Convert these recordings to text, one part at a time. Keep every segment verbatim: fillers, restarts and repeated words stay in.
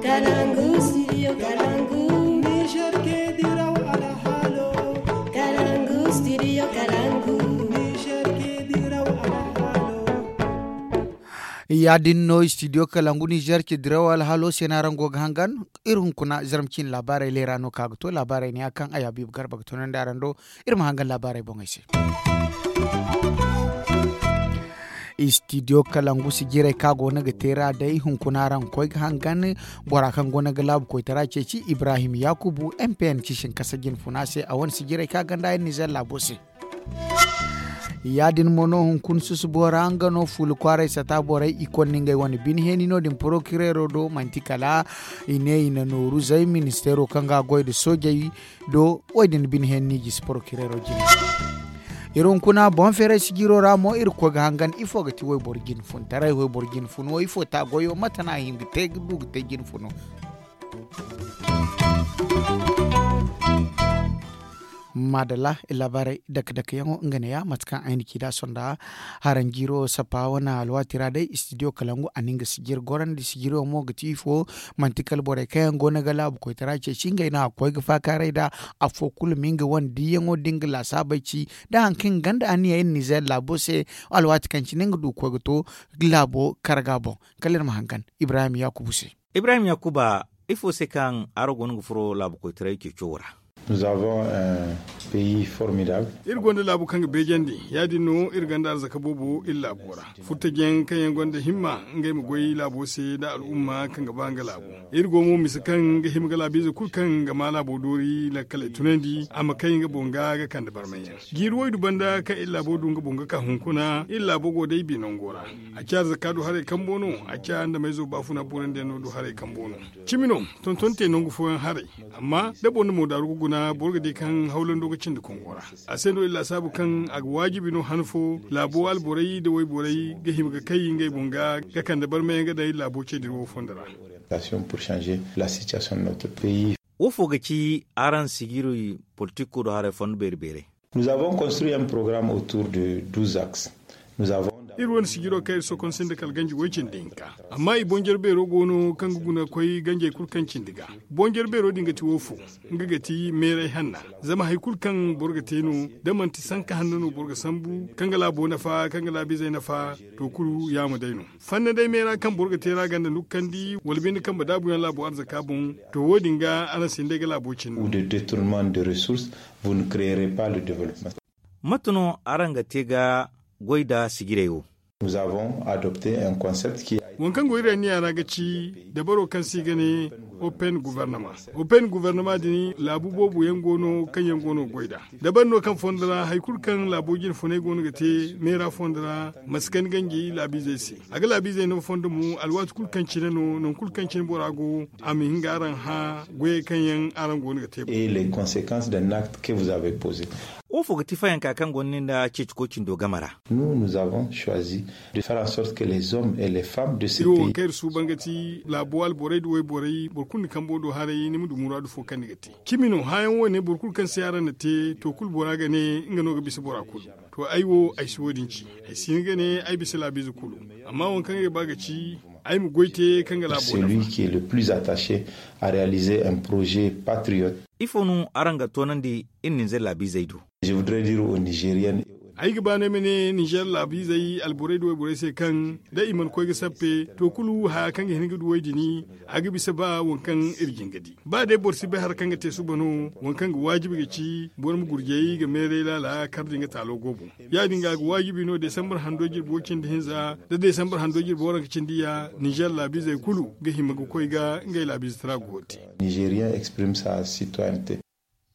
Kalangu studio kalangu. Niger ke diraw alhalo. Kalangu studio kalangu. Niger ke diraw alhalo. Ya din no studio kalangu niger ke diraw alhalo se no araŋ go ga hangan. Iri hunkuna zarma ciine laabaarey leera no ka ga to laabaarey ne ya kaŋ ay habiibu garba ga tunandi araŋ do. Iri ma hangan laabaarey boŋey se. Istidiyo kalangu sijirey kaŋ a go no ga te ra day hunkuna araŋ ga koy ga hangan. Bora kaŋ go no ga laabu koytara ceeci ibrahim yakubu m p n ciisin kasa jinfuna se a wane sijirey kaŋ a ganda yaŋ nizer laabo se. Ya- din mo no hunkuna susubo ra nga no fuula kwaaray sata borey i konna ngey wane bine heeni no- din porokireero do manti kala i ne i na nooru zay ministeero kaŋ ga a goy nda soojey do. Wo- din bine heeni no i gisi porokireero jine. Iri hunkuna boŋ feeray sijiro ra mo iri ga koy ga hangan ifo ga ti wayboro jine funtaray wayboro jine funo ifo ta goyo mate no a hin ga te ga du ga te jine funo. Maadalla, laabaarey dake dake yaŋo nga neeya mate kaŋ ay na ci nd'a sonda. Haraŋ jiiro sappa wane alwaati ra day istidiyo kalangu a na nga sijir gorandi sijiro mo ga ti ifo? Manti kala borey kaŋ yaŋ go no ga laabu koytara ceeci ngey no a ga koy ga faakaaray nd'a. Afo kulu ma nga wane diiyaŋo da nga laasaabey ci nda hari kaŋ i ga ganda anniya iri nizer laabo se. Alwaati kaŋ cine nga du ga koy ga to laabo karga boŋ. Kala iri ma hangan ibrahim yakubu se. Ibrahim yakuba, ifo se kaŋ araŋ go no ga furo laabu koytaray ceeco wo ra? Iri gonda laabu kaŋ ga beejandi. Ya- din no iri gonda arzaka boobo iri laabo ra. Furtajiyaŋ kaŋ yaŋ gonda himma ngey ma goy laabo se nda al'umma kaŋ ga ba nga laabo. Iri go mo mise kaŋ ga hima ga laabiize kulu kaŋ ga maa laabo doori lakkaley tunandi a ma kay nga boŋ ga ga kande barmayyaŋ. Jiiri waydu banda kaŋ iri laabo du nga boŋ ga ka hunkuna iri laabo go day binango ra. A ci arzaka du haray kambo no. A ci andameyzo baafuna borandiyaŋ no du haray kambo no. Cimi no tonton te nangu fooyaŋ haray. Amma da boro na moodaaru ga guna boro ga di kaŋ hawlando ga cindi kongo ra. A se no iri laasaabu kaŋ a ga waajibi no han fo laabo alborey nda wayborey ga hima ga kay ngey boŋ ga ga kande barmayaŋ ga daŋ iri laabo ce din wo fondo ra. Wo fo ga ci araŋ sijirey polotiko do haray fondo beeri beerey? Iri wane sijiro kaŋ iri sokonse nda kala ganji way cindi hinka. Amma i boŋ jare beero go no kaŋ ga guna koy ganjey kulu kaŋ cindi ga. Boŋ jare beero din ga ti wo fo? Nga ga ti meeray hanna. Zama hari kulu kaŋ boro ga te no da manti sanka hanno no boro ga sambu kaŋ ga laabo nafa kaŋ ga laabiizey nafa. To kulu yaama day no. Fanna day meera kaŋ boro ga te ra ganda nukkandi wala binde kaŋ ba daabuyaŋ laabo arzaka boŋ. To wo- din ga araŋ si hin day ga laabo cindi. Mate no araŋ ga te ga goy nda sijirey wo? Waŋ kaŋ go iri anniya ra ga ci dabaro kaŋ se i ga ne open guvernama. Open guvernama din laabu boobo yaŋ go no kaŋ yaŋ go no ga goy nd'a. Dabari no kaŋ fondo ra hari kulu kaŋ laabo jine funay go no ga te meera fondo ra ma si kani ganji laabiizey se. A ga laabiizey no fondo mo alwaati kulu kaŋ cine no nangu kulu kaŋ cine bora go a ma hin ga araŋ hã goyey kaŋ yaŋ araŋ go no ga te. Wo fo ga ti fayanka kaŋ gonda ni nda ceeci koy cindo game ra? Iri wo kaŋ iri suuban ga ti laabo alborey nda wayborey boro kulu na kambo do haray ni ma du muraadu fo kaŋ ni ga te. Cimi no hãayaŋ wo- ne boro kulu kaŋ se araŋ na te to kulu bora ga ne nga no ga bisa bora kulu. To ay wo ay si wo- din ci. Ay si hin ga ne ay bisa laabiize kulu. Amma waŋ kaŋ ay ga ba ga ci ay ma goy te kaŋ ga laabo nafa. Ifo no araŋ ga toonandi iri ninzeer laabiizey do? Ay ga ba no ay ma ne ninzeer laabiizey alborey nda wayborey se kaŋ da i mana koy ga sappe to kulu haya kaŋ ga hin ga du way- din a ga bisa ba waŋ kaŋ iri jin ga di. Ba day boro si bay hari kaŋ ga te suba no waŋ kaŋ ga waajibi ga ci boro ma gurjay ga meeray laala kar da nga taalo go boŋ. Ya- din ga a ga waajibi no desambar hando jirbo cindi hinza da desambar hando jirbo waranka cindi ya ninzeer laabiizey kulu ga hima ga koy ga ngey laabiize tara go te.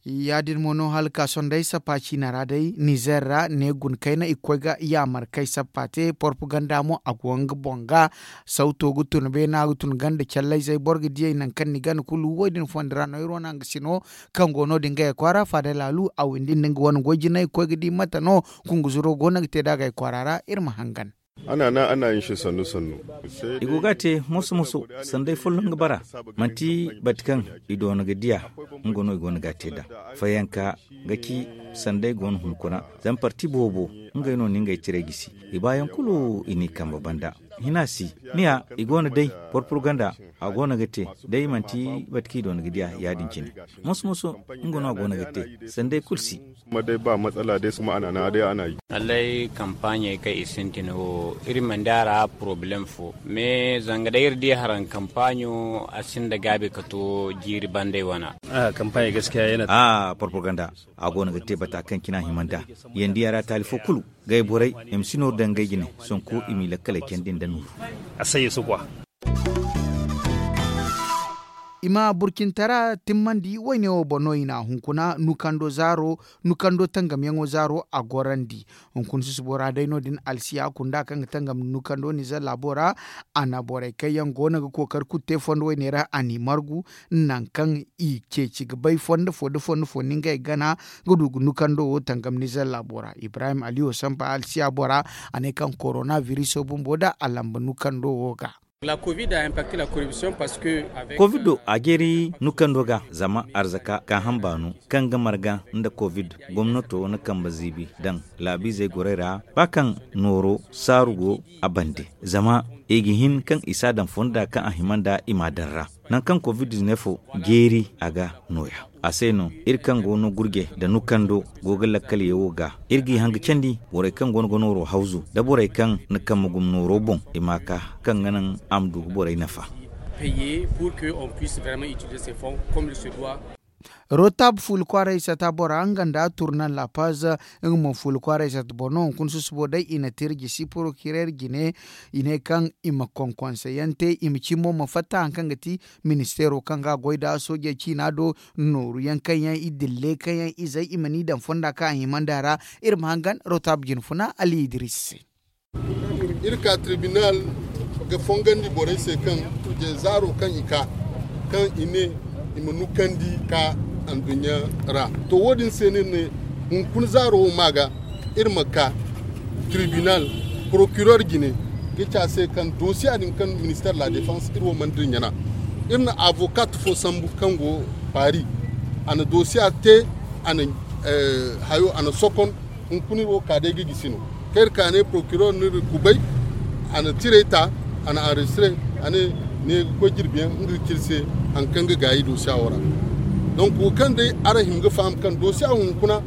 Ya- din mo no hala ka sohõ day sappa ciina ra day nizeer ra ne guna kayna i ga koy ga yaamar kay sappa te porpaganda mo a go nga boŋ ga. Sawto ga tun beena ga tun ganda callayzey boro ga diyey nangu kaŋ ni gana kulu wo- din fondo ra no iri wane hangasino kaŋ go no- din gayey kwaara faada laalu a windi nda nga wane goy jinay ga koy ga di mate no kunguzuro go no ga te nd'a gayey kwaara ra iri ma hangan. I go ga a te moso moso sanda ay folloŋ ga bara. Manti bati kaŋ i doona ga diya nga no i go no ga a te nd'a. Fayanka ga ci sanda ay go no hunkuna zama parti boobo ngey no na ngey ciray gisi i baayaŋ kulu i n'i kambe banda. Hina si, ni ya, i go no day, porpurganda, a go no ga te. Day manti bate kaŋ i doona ga diya ya- din cine. Moso moso, nga no a go no ga te. Sanday kulu si. Allay kampaaɲey kaŋ i sintin wo, iri mana di a ra porobalem fo. Me zanga day iri di haraŋ kampaaɲo, a sinda gaabi ka to jiiri banday wana. A porpurganda, a go no ga te bata kaŋ cine a hima nd'a. Yaŋ di a ra taali fo kulu. Gay borey, i ma si nooru daŋ ngey jine, sonko i m'i lakkaley candi nda nooru. I ma burcintara timmandi wayne wo boŋ no i na a hunkuna nukando zaaro, nukando tangamyaŋo zaaro a gorandi. Hunkuna susubo ra day no- din alsiya kunda kaŋ ga tangam nukando nizer laabo ra. A na borey kaŋ yaŋ go no ga kookari kulu te fondo wayne ra a n'i margu. Nangu kaŋ i ceeci ga bay fondo fo nda fondo fo no ngey gana ga du ga nukando wo tangam nizer laabo ra ibrahim aliyo sampa alsiya bora. A ne kaŋ korona viriso bumbo da a lamba nukando wo ga. Kovido a jeeri nukando ga zama arzaka ka hamba no kaŋ ga marga nda kovid gomnato na kambe ziibi daŋ laabiizey gorey ra ba kaŋ nooro saaru go a bande. Zama i ga hin kaŋ i si a daŋ fonda kaŋ a hima nd'a i m'a daŋ ra. Nangu kaŋ kovid diznefo jeeri a ga nooya. A se no iri kaŋ go no gurje nda nukando go ga lakkal ye wo ga iri g'i haŋ ga candi borey kaŋ go no ga nooro hawzu nda borey kaŋ na kambe gum nooro boŋ i m'a ka kaŋ ga naŋ a ma du ga borey nafa. Rotab fuula kwaaray sata bora nga nda turnan lapaz. Nga mo fuula kwaaray sata boro no hunkuna susubo day i na te iri jisi porokirer jine. I ne kaŋ i ma konkonse yaŋ te i ma cimbo ma fatta hari kaŋ ga ti ministeero kaŋ ga a goy nd'a soojey ciina do. Nooru yaŋ kaŋ yaŋ i dille kaŋ yaŋ izey i ma n'i daŋ fonda kaŋ a hima nd'a ra. Iri ma hangan rotab jine funa ali idris se. Iri ka tribinal ga fongandi borey se kaŋ zaaro kaŋ i ka kaŋ i ne i ma nukandi ka anduɲɲa ra. To wo- din se no iri ne hunkuna zaaro wo ma ga iri ma ka tribinal porokiror jine ga ci a se kaŋ dosiya din kaŋ minister la defense iri wo mana dirɲana. Iri na avokat fo sambu kaŋ go paris. A na dosiya te a na hayo a na sokon. Hunkuna iri wo ka day ga gisi no kaŋ iri ka ne porokiror no iri kubay. A na tirey ta a na anrejistire a ne ne ga koy jirbiyaŋ nga ga ci iri se hari kaŋ ga gaayi dosiya wo ra. Donk wo kaŋ day araŋ hima ga faham kaŋ dosiya hunkuna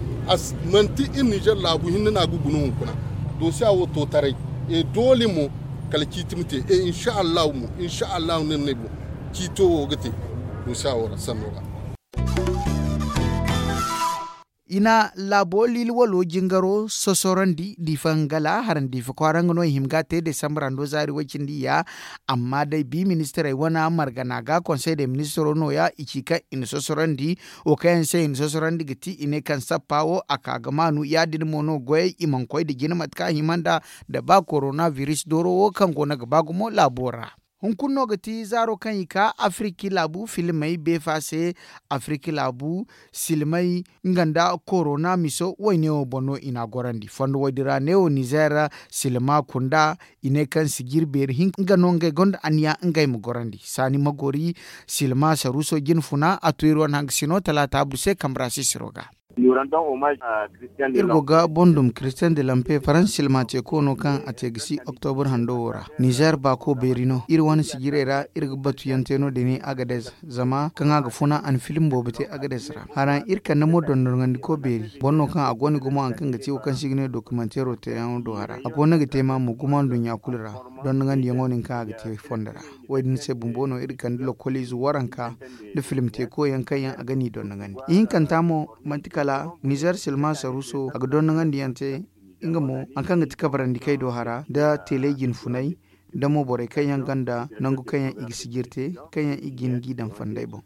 manti iri nizer laabu hinne no a ga guna hunkuna. Dosiya wo to taray e doole mo kala ciiti ma te e insa allahu mo insa allahu no iri ne boŋ ciito wo ga te dosiya wo ra sanno ra. I na laabo liili walo jingaro sosorandi diifa ngala harandi diifa kwaara nga no i hima ga a te desambra ndo zaari way-cindi ya. Amma day bi ministirey wane margana ga konsey de ministiro no- ya i ci kaŋ i na sosorandi wo kaŋ yaŋ se i na sosorandi ga ti i ne kaŋ sappa wo a ka ga maanu ya- din mo no goyey i mana koy nda jina mate kaŋ a hima nd'a nda ba korona biris dooro wo kaŋ go no ga ba gumo laabo ra. Hunkuna no ga ti zaaro kaŋ i ka afiriki laabu filmey beefa se. Afiriki laabu silmey nga nda korona miso wayne wo boŋ no i n'a gorandi fondo woy din ra neewo nizer silma kunda. I ne kaŋ sijir beeri hinka nga no ngey gonda anniya ngey ma gorandi saani ma gori. Silma saruuso jine funa a to iri wane hangasino talaata buru se kambe ra sisiro ga. Iri go ga boŋ dum kiristiyan de lampe faransa silma teeko no kaŋ a te ga si oktobur hando wo ra. Nizer baako beeri no iri wane sijirey ra iri ga batu yaŋ te no- din agades. Zama kaŋ a ga funa a na film boobo te agades ra haraŋ iri kande mo dondonandiko beeri boro no kaŋ a go no gumo hari kaŋ ga te wo kaŋ se i ga ne dokimanteero teyaŋo do hara a go no ga te ma mo gumo nduɲɲa kulu ra. Dondonandiyaŋo no ni kaŋ a ga te fondo ra. Wo- din se bumbo no iri kande lokoliize waranka nda film teeko yaŋ kaŋ yaŋ a ga n'i dondonandi ihinkanta mo manti kala nizer silma saruuso a ga dondonandi yaŋ te. Nga mo hari kaŋ ga ti kabarandi kay do hara nda teeley jine funay nda mo borey kaŋ yaŋ gonda nangu kaŋ yaŋ i ga sijir te kaŋ yaŋ i ga hin g'i daŋ fonday boŋ.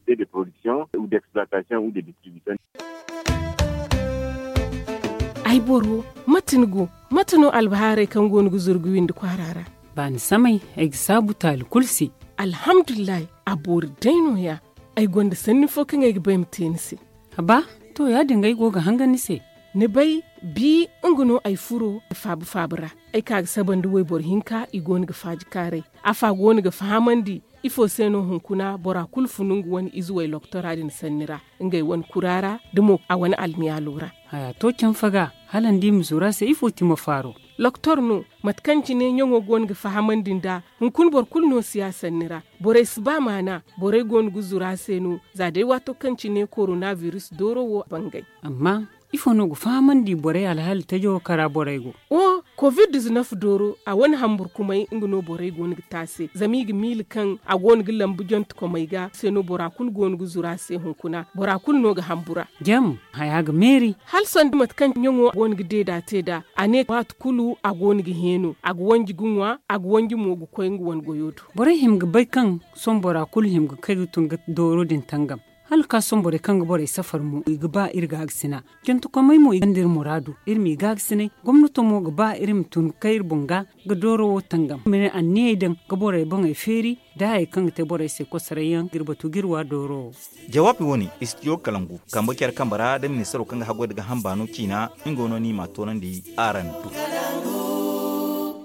Ay boro, mate ni go? Mate no albahaarey kaŋ go no ga zuru ga windi kwaara ra? Baani samay, ay ga saabu taali kulu se. Alhamdulillahi, a boori day no- ya. Ay gonda sanni fo kaŋ ay ga ba ay ma te ni se. Haba, to ya- din ga ay go ga hangan ni se. Ni bay, bi nga no ay furo faaba faaba ra. Ay ka ga saba nda wayboro hinka i go no ga faaji kaaray. Afa go no ga fahamandi ifo se no hunkuna bora kulu funu nga wane ize way loktora din sanni ra, ngey wane kura ra da mo a wane almiyaalo ra. Haya to canfa ga, hala ni di ma zuru a se ifo ti ma faaro? Loktor no, mate kaŋ cine ɲaŋo go no ga fahamandi nd'a. Hunkuna boro kulu no si a sanni ra. Borey si ba maana. Borey go no ga zuru a se no. Za day waato kaŋ cine koronabiris dooro wo bangay. Amma ifo no ga fahamandi borey alhaali tajo wo kaŋ ra borey go? O covid dizinef dooro, a wane hamburkumay nga no borey go no ga te a se. Zama i ga miila kaŋ a go no ga lambu jontekomey ga se no bora kulu go no ga zuru a se hunkuna. Bora kulu no ga hambura. Jam, haya ga meeri. Hala sanda mate kaŋ ɲaŋo go no ga deeda te nd'a. A ne waati kulu a go no ga heeno, a ga wanji ga ŋwa, a ga wanji mo ga koy nga wane goyo do. Borey hima ga bay kaŋ sohõ bora kulu hima ga kay ga tun ga dooro din tangam. Hala ga ka sohõ borey kaŋ ga borey safar mo i ga ba iri gaagasina. Jantakomey mo i gonda iri muraadu. Iri m'i gaagasinay. Gomnato mo ga ba iri ma tun ga kay iri boŋ ga ga dooro wo tangam, ma ne anniyey daŋ ga borey boŋey feeri nda hayey kaŋ ga te borey se kosoray yaŋ ga iri batu ga iri wa dooro wo. Jawaabi wo-ne, istidiyo kalangu kambe care kambe ra nda ministaro kaŋ ga haggoy nda gaaham baano ciina. Nga no no i m'a toonandi araŋ do.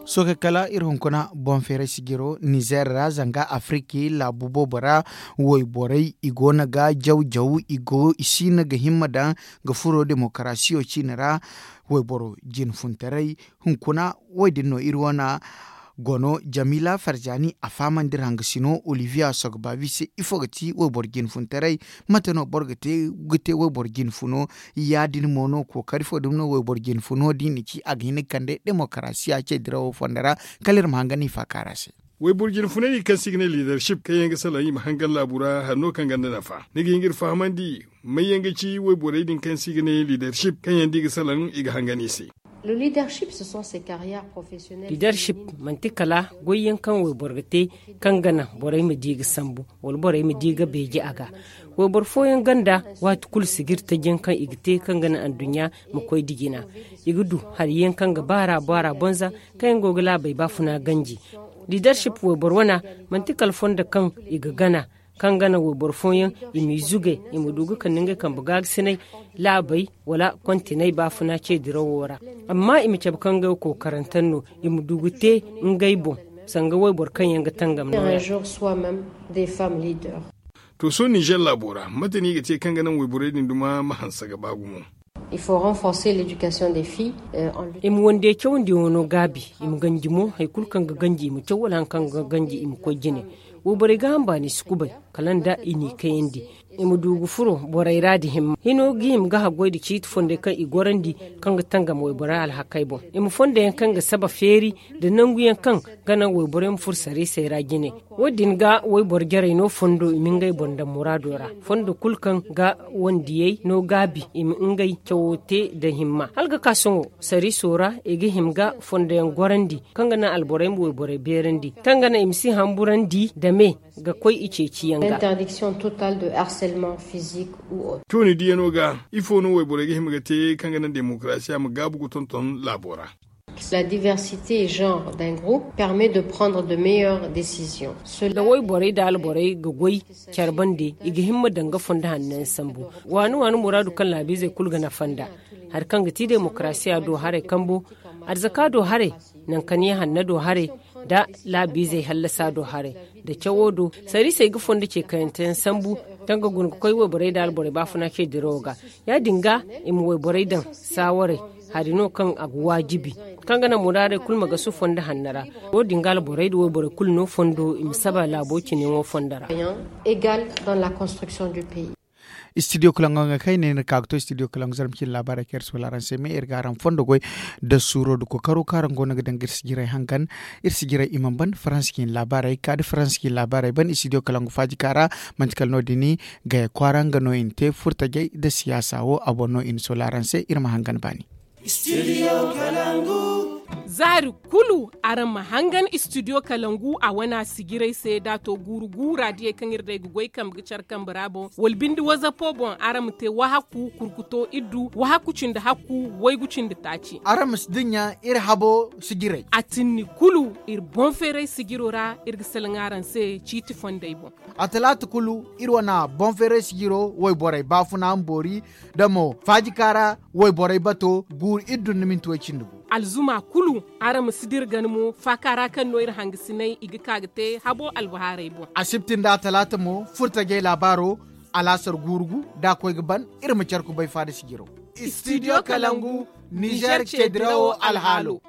Sohõ kala iri hunkuna boŋ feeray sijiro nizer ra zanga afiriki laabu boobo ra. Wayborey i go no ga jaw jaw i go i siino ga himma daŋ ga furo demokarasiyo ciine ra. Wayboro jinfuntaray hunkuna wo- din no iri wane gono jamila farzani a fahamandi iri hangasino oliviya sogbabi se ifo ga ti wayboro jinfuntaray? Mate no boro ga te wayboro jinfuno? Ya- din mo no kookari fo dumi no wayboro jinfuno da i na ci a ga hin ga kande demokarasiya ce dirawo fondo ra. Kala iri ma hangan i faakaara se. Wayboro jinfunay din kaŋ se i ga ne liidarship kaŋ yaŋ ga salaŋ i ma hangan laabu ra hari no kaŋ gonda nafa ni ga hin ga iri fahamandi? May yaŋ ga ci wayborey din kaŋ se i ga ne liidarship kaŋ yaŋ da i ga salaŋ i ga hangan i se? Liidarship manti kala goy yaŋ kaŋ wayboro ga te kaŋ ga naŋ borey ma di ga sambu wala borey ma di ga beeje a ga. Wayboro fooyaŋ gonda waati kulu sijiri taji yaŋ kaŋ i ga te kaŋ ga naŋ anduɲɲa ma koy da jina. I ga du hari yaŋ kaŋ ga baara baara bonza kaŋ yaŋ go ga laabey baafuna ganji. Liidarship wayboro wana manti kala fondo kaŋ i ga gana kaŋ ga naŋ wayboro fooyaŋ i m'i zugay i ma du ga kande ngey kambe gaagasinay laabey wala kontiney baafuna ce dirawo ra. Amma i ma cabe kaŋ ngey wo kookarantaŋ no i ma du ga te ngey boŋ sanga wayboro kaŋ yaŋ ga tangam no. To sohõ nizer laabo ra mate no i ga te kaŋ ga naŋ wayborey din duma ma hanse ga ba gumo? I ma wande cawandiyaŋo no gaabi. I ma ganji mo hari kulu kaŋ ga ganji i ma caw wala hari kaŋ ga ganji i ma koy jine. Wayborey gaaham baani si kubay kala nda i n'i kayandi. I ma du ga furo borey ra da himma hino ga hima ga haggoy nda ciiti fondey kaŋ i gorandi kaŋ ga tangam wayborey alhakey boŋ. I ma fondo yaŋ kaŋ ga saba feeri nda nangu yaŋ kaŋ ga naŋ wayborey ma furo sariisey ra jine. Wo- din ga wayboro jarey no fondo i ma ngey boŋ daŋ muraado ra. Fondo kulu kaŋ ga wandiyey no gaabi i ma ngey cawo te nda himma hala ga ka sohõ sariiso ra i ga hima ga fondo yaŋ gorandi kaŋ ga naŋ alborey ma wayborey beerandi kaŋ ga naŋ i ma si hamburandi nda me ga koy i ceeciyaŋ ga. Tooni diyano ga ifo no wayborey ga hima ga te kaŋ ga naŋ demokarasiya ma gaabu ga tonton laabo ra? Da wayborey da alborey ga goy care bande i ga himma daŋ ga fondo hanno yaŋ sambu. Waani waani muraadu kaŋ laabiizey kulu ga nafa nd'a hari kaŋ ga ti demokarasiya do haray kambo, arzaka do haray, nankaniya hanna do haray, nda laabiizey hallasa do haray, nda cawo do sariisey ga fondo ce kayante yaŋ sambu. Kaŋ ga guna ga koy wayborey nda alborey baafuna ce dirawo ga. Ya- din ga i ma wayborey daŋ saawaray hari no kaŋ a ga waajibi kaŋ ga naŋ muraadey kulu ma gasu fondo hanno ra. Wo- din ga alborey nda wayborey kulu no fondo i ma saba laabo cine yaŋo fondo ra. Istidiyo kalaŋo ga kay ne ni ka ga to istidiyo kalaŋo zarma cine laabaarey kaŋ iri si wala araŋ se me iri ga araŋ fondo goy nda suuro nda kookaro kaŋ araŋ go no ga daŋ ga iri sijirey hangan. Iri sijirey i mana ban faransa cine laabaarey ka da faransa cine laabaarey ban istidiyo kalaŋo faaji ka ra. Manti kala no- din gaya kwaara nga no i na te furtajey nda siyaasa wo a boŋ no i na soola araŋ se iri ma hangan baani. Zaari kulu araŋ ma hangan istidiyo kalangu a wana sijirey se da a to guuru guura diyey kaŋ iri day ga goy kambe ga care kambe ra boŋ wala binde wazapo boŋ araŋ ma te wahakku kurkuto iddu wahakku cindi hakku waygu cindi taaci. Araŋ ma si dinya iri habo sijirey. A tinni kulu iri boŋ feeray sijiro ra iri ga salaŋ araŋ se ciiti fondey boŋ. A talaata kulu iri wana boŋ feeray sijiro wayborey baafuna ma boori da mo faajika ra wayborey bato guuru iri dun da minti way cindi gu. Alzuma kulu araŋ ma si dira gana mo faaka ra kaŋ no iri hangasinay i ga ka ga te habo albahaarey boŋ. Asibti nda talaata mo furtajey laabaaro alaasar guuru gu da a koy ga ban iri ma care kubay faada sijiro. Istidiyo kalangu nizer ce dirawo alhaalo.